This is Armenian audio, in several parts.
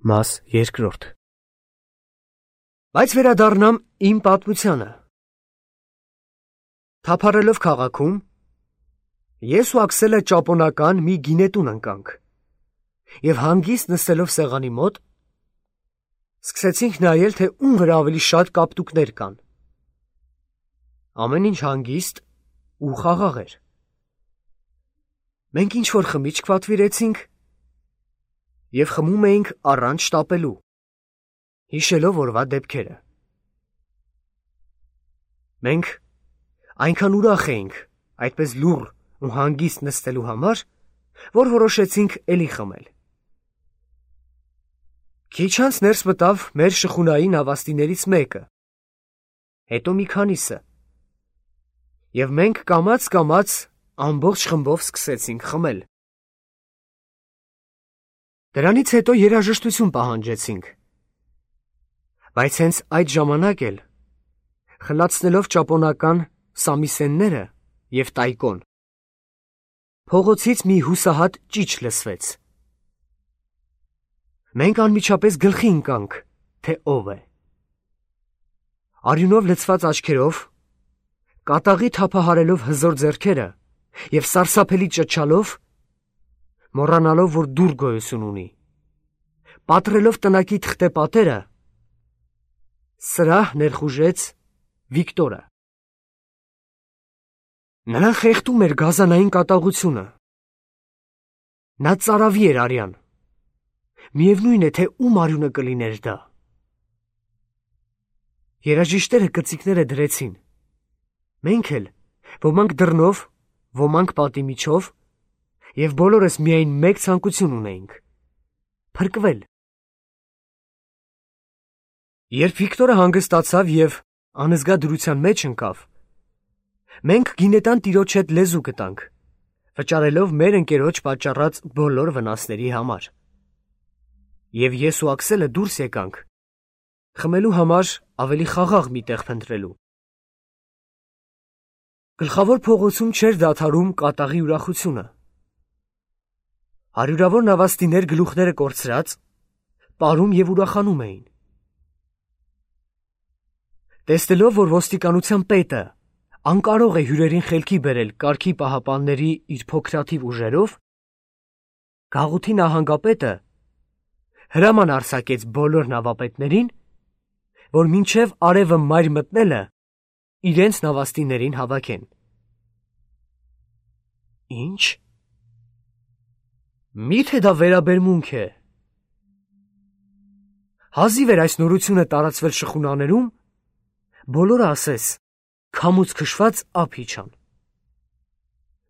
Մաս երկրորդ։ Բայց վերադառնամ իմ պատմությանը։ Թափառելով քաղաքում, ես ու Աքսելը ճապոնական մի գինետուն ընկանք և հանգիստ նստելով սեղանի մոտ, սկսեցինք նայել, թե ում վրա ավելի շատ կապտուկներ կան։ Ամեն ինչ հանգիստ ու խաղաղ էր։ Մենք ինչ-որ խմիչք պատվիրեցինք և խմում էինք առանց շտապելու, հիշելով օրվա դեպքերը։ Մենք այնքան ուրախ էինք այդպես լուռ ու հանգիստ նստելու համար, որ որոշեցինք էլի խմել։ Քիչ անց ներս մտավ մեր շխունային հավաստիներից մեկը, հետո մի քանիսը, և մենք կամաց ամբողջ խմբով սկսեցինք խմել։ Դրանից հետո երաժշտություն պահանջեցինք, բայց հենց այդ ժամանակ էլ, խլացնելով ճապոնական սամիսենները և տայկոն, փողոցից մի հուսահատ ճիչ լսվեց։ Մենք անմիջապես գլխի ընկանք, թե ով է։ Արյունով լցված աչքերով, կատաղի թափահարելով հզոր ձեռքերը և սարսափելի ճչալով, մոռանալով, որ դուռ գոյություն ունի, պատռելով տնակի թղթե պատերը, սրահ ներխուժեց Վիկտորը։ Նրան խեղդում էր գազանային կատաղությունը։ Նա ծարավի էր արյան։ Միևնույն է, թե ում արյունը կլիներ դա։ Երաժիշտները կծիկները դրեցին։ Մենք էլ, ոմանք դռնով, ոմանք պատի միջով, և բոլորս միայն մեկ ցանկություն ունեինք՝ փրկվել։ Երբ Վիկտորը հանգստացավ և անզգա դրության մեջ ընկավ, մենք գինետան տիրոջ հետ լեզու գտանք, վճարելով մեր ընկերոջ պատճառած բոլոր վնասների համար։ Եվ ես ու Աքսելը դուրս եկանք, խմելու համար ավելի խաղաղ մի տեղ փնտրելու։ Գլխավոր փողոցում չէր դադարում կատաղի ուրախությունը։ Հարյուրավոր նավաստիներ գլուխները կորցրած, պարում և ուրախանում էին։ Տեսնելով, որ ոստիկանության պետը անկարող է հյուրերին խելքի բերել կարգի պահապանների իր փոքրաթիվ ուժերով, գաղութի նահանգապետը հրաման արձակեց բոլոր նավապետներին, որ մինչև արևը մայր մտնելը իրենց նավաստիներին հավաքեն։ Ինչ։ Մի՞թե դա վերաբերմունք է։ Հազիվ էր այս նորությունը տարածվել շխունաներում, բոլորը ասես քամուց քշված ափ իջան։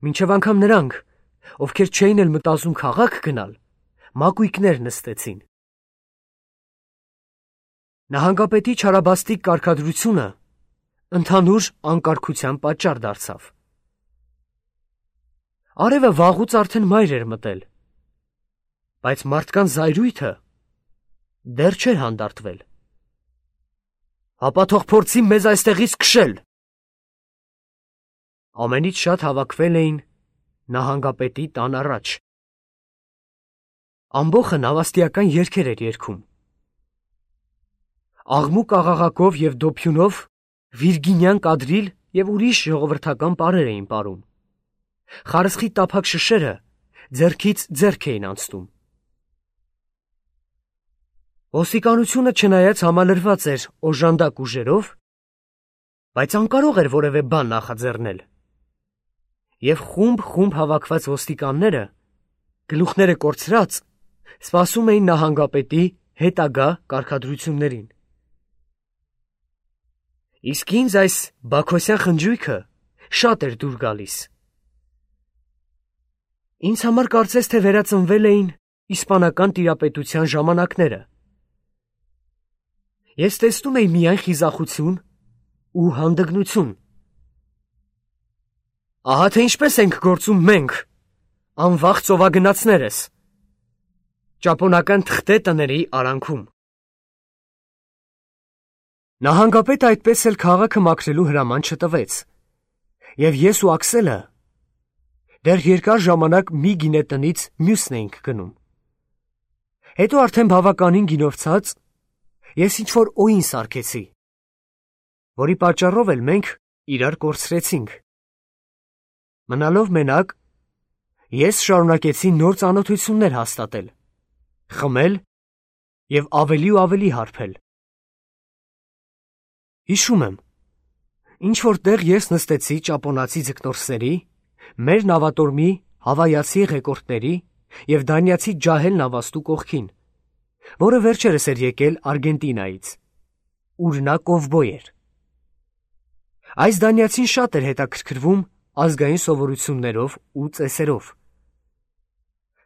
Մինչև անգամ նրանք, ովքեր չէին էլ մտածում քաղաք գնալ, մակույկներ նստեցին։ Նահանգապետի չարաբաստիկ կարգադրությունը ընդհանուր անկարգության պատճառ դարձավ։ Արևը վաղուց արդեն մայր էր մտել, բայց մարդկանց զայրույթը դեռ չէր հանդարտվել։ Ապա թող փորձի մեզ այստեղից քշել։ Ամենից շատ հավաքվել էին նահանգապետի տան առաջ։ Ամբոխը նավաստիական երգեր էր երգում։ Աղմուկ աղաղակով և դոփյունով վիրգինյան կադրիլ և ուրիշ ժողովրդական պարեր էին պարում։ Խարսխի տափակ շշերը ձեռքից ձեռք էին անցնում։ Ոստիկանությունը չնայած համալրված էր օժանդակ ուժերով, բայց անկարող էր որևէ բան նախաձեռնել, և խումբ հավաքված ոստիկանները, գլուխները կորցրած, սպասում էին նահանգապետի հետագա կարգադրություններին։ Իսկ ինձ այս բաքոսյան խնջույքը շատ էր դուր գալիս։ Ինձ համար կարծես թե վերածնվել էին իսպանական տիրապետության ժամանակները։ Ես տեսնում էի միայն խիզախություն ու հանդգնություն։ Ահա թե ինչպես ենք գործում մենք, անվախ ծովագնացներս, ճապոնական թղթե տների արանքում։ Նահանգապետը այդպես էլ քաղաքը մաքրելու հրաման չտվեց, և ես ու Աքսելը դեռ երկար ժամանակ մի գինետնից մյուսն էինք գնում։ Հետո արդեն բավականին գինովցած, ես ինչ-որ օին սարքեցի, որի պատճառով էլ մենք իրար կորցրեցինք։ Մնալով մենակ, ես շարունակեցի նոր ծանոթություններ հաստատել, խմել և ավելի ու ավելի հարբել։ Հիշում եմ, ինչ-որ տեղ ես նստեցի ճապոնացի ձկնորսերի, մեր նավատորմի հավայացի ղեկորդների և դանիացի ջահել նավաստու կողքին, որը վերջերս էր եկել Արգենտինայից, ուր նա կովբոյ էր։ Այս դանիացին շատ էր հետաքրքրվում ազգային սովորություններով ու ծեսերով։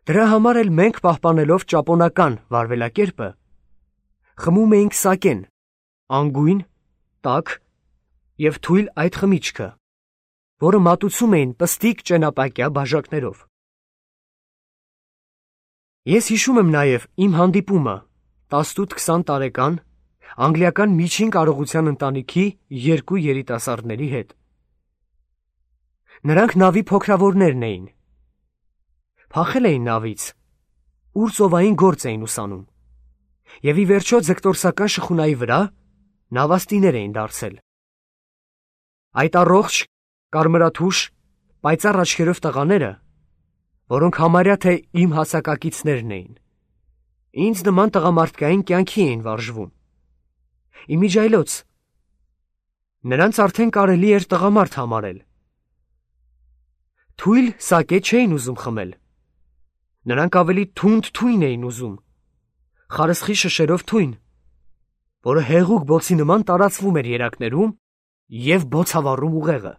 Դրա համար էլ մենք պահպանելով ճապոնական վարվելակերպը, խմում էինք սակեն, անգույն, տաք և թույլ այդ խմիչքը, որը մատուցում էին պստիկ ճենապակյա բաժակներով։ Ես հիշում եմ նաև իմ հանդիպումը 18-20 տարեկան անգլիական միջին կարողության ընտանիքի երկու երիտասարդների հետ։ Նրանք նավի փոքրավորներն էին։ Փախել էին նավից, ուր ծովային գործ էին ուսանում, և ի վերջո ձկտորսական շխունայի վրա նավաստիներ էին դարձել։ Այդ առողջ, կարմրաթուշ, պայծառ աչքերով տղաները, որոնք համարյա թե իմ հասակակիցներն էին, ինձ նման տղամարդկային կյանքի էին վարժվում։ Իմիջիայլոց, նրանց արդեն կարելի էր տղամարդ համարել։ Թույլ սակե չէին ուզում խմել։ Նրանք ավելի թունդ թույն էին ուզում, խարսխի շշերով թույն, որը հեղուկ բոցի նման տարածվում էր երակներում և բոցավառում ուղեղը։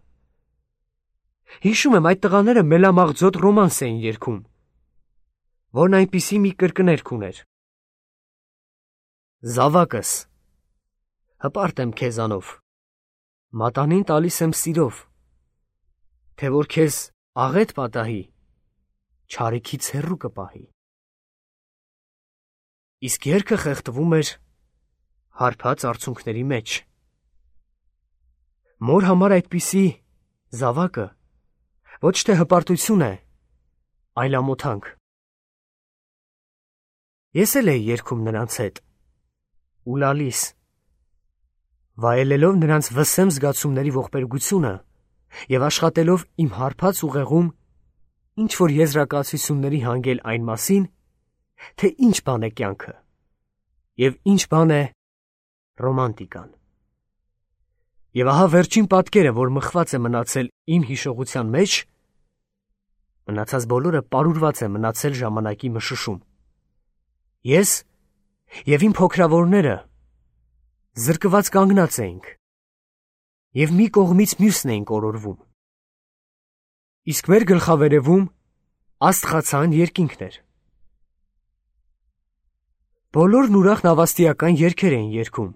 Հիշում եմ, այդ տղաները մելամաղձոտ ռոմանս էին երգում, որն այնպիսի մի կրկներգ ուներ. Զավակս, հպարտ եմ քեզանով, մատանին տալիս եմ սիրով, թե որ քեզ աղետ պատահի, չարիքից հեռու կպահի։ Իսկ երգը խեղդվում էր հարբած արցունքների մեջ։ Մոր համար այդպիսի զավակը ոչ թե հպարտություն է, այլ ամոթանք։ Ես էլ էի երգում նրանց հետ, ու լալիս, վայելելով նրանց վսեմ զգացումների ողբերգությունը և աշխատելով իմ հարբած ուղեղում ինչ-որ եզրակացությունների հանգել այն մասին, թե ինչ բան է կյանքը և ինչ բան է ռոմանտիկան։ Եվ ահա վերջին պատկերը, որ մխված է մնացել իմ հիշողության մեջ, մնացած բոլորը պարուրված է մնացել ժամանակի մշուշում։ Ես և իմ փոքրավորները զրկված կանգնած էինք և մի կողմից մյուսն էինք օրորվում։ Իսկ մեր գլխավերևում աստղացան երկինքն էր։ Բոլորն ուրախ նավաստիական երգեր էին երգում,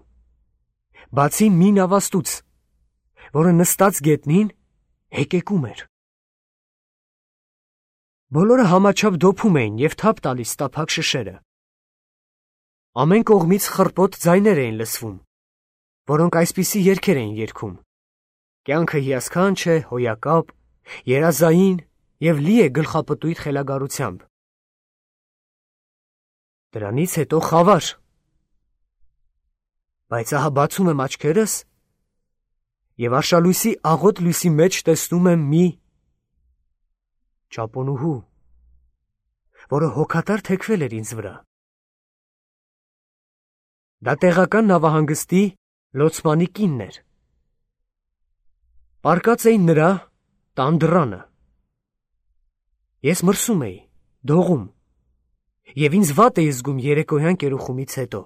բացի մի նավաստուց, որը նստած գետնին հեկեկում էր։ Բոլորը համաչափ դոփում էին և թափ տալիս տափակ շշերը։ Ամեն կողմից խռպոտ ձայներ էին լսվում, որոնք այսպիսի երգեր էին երգում. կյանքը հիասքանչ է, հոյակապ, երազային և լի է գլխապտույտ խելագարությամբ։ Դրանից հետո խավար։ Բայց ահա բացում եմ աչքերս և արշալույսի աղոտ լույսի մեջ տեսնում եմ մի ճապոնուհու, որը հոգատար թեքվել էր ինձ վրա։ Դա տեղական նավահանգստի լոցմանի կինն էր։ Պառկած էին նրա տան դռանը։ Ես մրսում էի, դողում, և ինձ վատ էի զգում երեկոյան կերուխումից հետո։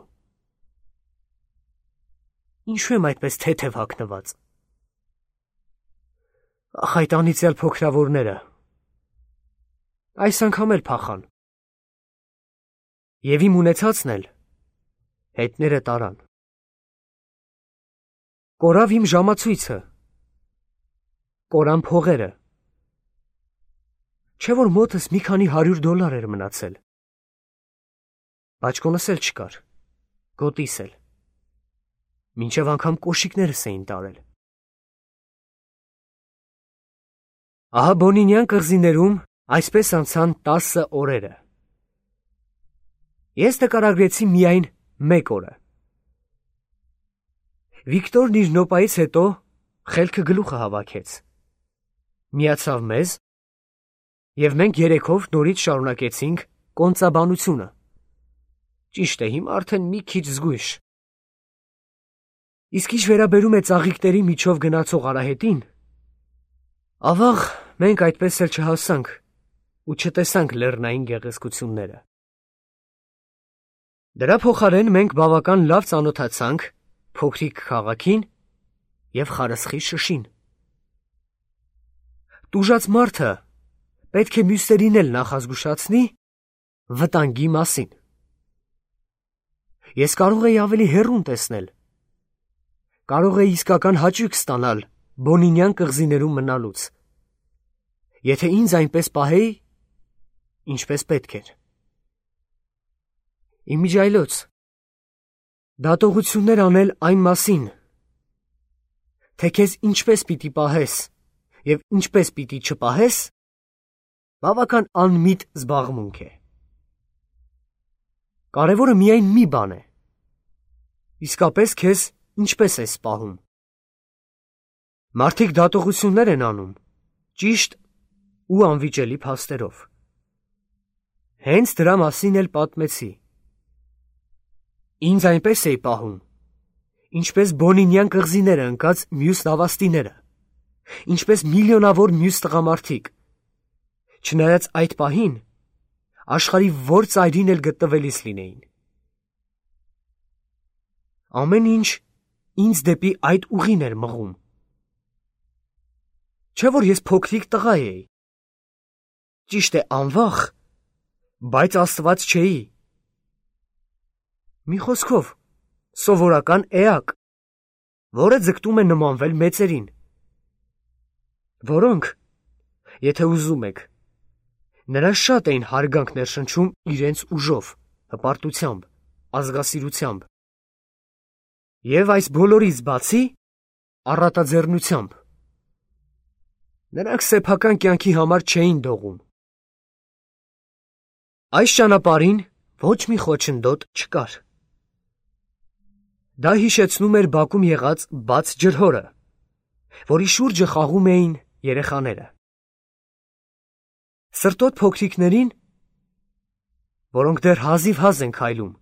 Ինչու եմ այդպես թեթև հագնված։ Ախ, այդ անիծյալ փոքրավորները, այս անգամ էլ փախան։ Եվ իմ ունեցածն էլ հետները տարան։ Կորավ իմ ժամացույցը, կորան փողերը, չէ որ մոտս մի քանի $100 էր մնացել։ Բաճկոնս էլ չկար, գոտիս էլ, մինչև անգամ կոշիկներս էին տարել։ Ահա Բոնինյան կղզիներում այսպես անցան 10 օրերը։ Ես նկարագրեցի միայն մեկ օրը։ Վիկտորն իր նոպայից հետո խելքը գլուխը հավաքեց։ Միացավ մեզ, և մենք երեքով նորից շարունակեցինք կոնծաբանությունը։ Ճիշտ է, հիմա արդեն մի քիչ զգույշ։ Իսկ ինչ վերաբերում է ծաղիկների միջով գնացող արահետին, ավաղ մենք այդպես էլ չհասանք ու չտեսանք լեռնային գեղեցկությունները։ Դրա փոխարեն մենք բավական լավ ծանոթացանք փոքրիկ քաղաքին և խարսխի շշին։ Տուժած մարդը պետք է մյուսներին էլ նախազգուշացնի վտանգի մասին։ Ես կարող էի ավելի հեռուն տեսնել, կարող էի իսկական հաճույք ստանալ Բոնինյան կղզիներում մնալուց, եթե ինձ այնպես պահեի, ինչպես պետք էր։ Իմիջիայլոց, դատողություններ անել այն մասին, թե քեզ ինչպես պիտի պահես և ինչպես պիտի չպահես, բավական անմիտ զբաղմունք է։ Կարևորը միայն մի բան է, իսկապես քեզ ինչպես ես պահում։ Մարդիկ դատողություններ են անում ճիշտ ու անվիճելի փաստերով։ Հենց դրա մասին էլ պատմեցի։ Ինձ այնպես էի պահում, ինչպես Բոնինյան կղզիները ընկած մյուս նավաստիները, ինչպես միլիոնավոր մյուս տղամարդիկ, չնայած այդ պահին աշխարհի որ ծայրին էլ գտնվելիս լինեին։ Ամեն ինչ ինձ դեպի այդ ուղին էր մղում։ Չէ՞ որ ես փոքրիկ տղա էի, ճիշտ է անվախ, բայց աստված չէի։ Մի խոսքով, սովորական էակ, որը ձգտում է նմանվել մեծերին, որոնք, եթե ուզում եք, նրա շատ էին հարգանք ներշնչում իրենց ուժով, հպարտությամբ, ազգասիրությամբ և այս բոլորից բացի առատաձեռնությամբ։ Նրանք սեփական կյանքի համար չէին դողում։ Այս ճանապարհին ոչ մի խոչընդոտ չկար։ Դա հիշեցնում էր բակում եղած բաց ջրհորը, որի շուրջը խաղում էին երեխաները։ Սրտոտ փոքրիկներին, որոնք դեռ հազիվ-հազ են քայլում,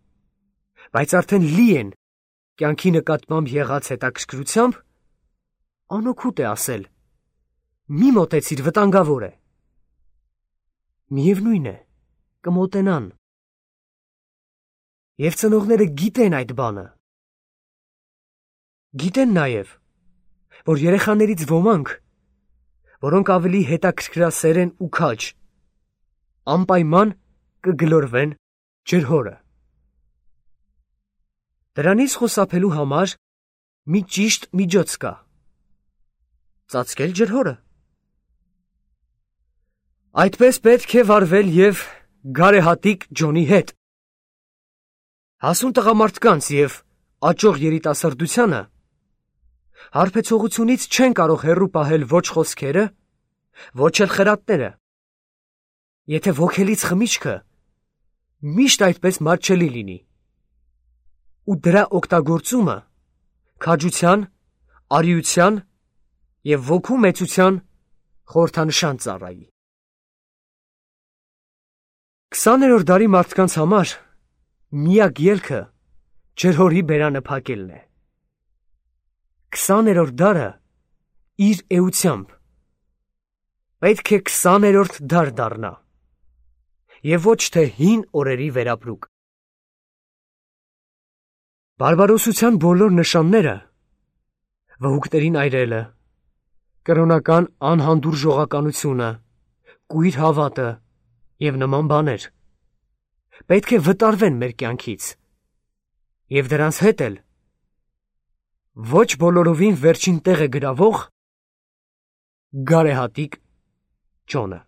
բայց արդեն լի են կյանքի նկատմամբ եղած հետաքրքրությամբ, անօգուտ է ասել. մի մոտեցիր, վտանգավոր է։ Միևնույն է, կմոտենան։ Եվ ծնողները գիտեն այդ բանը։ Գիտեն նաև, որ երեխաներից ոմանք, որոնք ավելի հետաքրքրասեր են ու քաջ, անպայման կգլորվեն ջրհորը։ Դրանից խուսափելու համար մի ճիշտ միջոց կա. ծածկել ջրհորը։ Այդպես պետք է վարվել և գարեհատիկ Ջոնի հետ։ Հասուն տղամարդկանց և աճող երիտասարդությանը հարբեցողությունից չեն կարող հեռու պահել ոչ խոսքերը, ոչ էլ խրատները, եթե ոգելից խմիչքը միշտ այդպես մատչելի լինի, ու դրա օգտագործումը քաջության, արիության և ոգու մեծության խորհրդանշան ծառայի։ 20-րդ դարի մարդկանց համար միակ ելքը ջրհորի բերանը փակելն է։ 20-րդ դարը իր էությամբ պետք է 20-րդ դար դառնա և ոչ թե հին օրերի վերապրուկ։ Բարբարոսության բոլոր նշանները, վհուկներին այրելը, կրոնական անհանդուրժողականությունը, կույր հավատը և նման բաներ, պետք է վտարվեն մեր կյանքից, և դրանց հետ էլ ոչ բոլորովին վերջին տեղ է գրավող գարեհատիկ Ջոնը։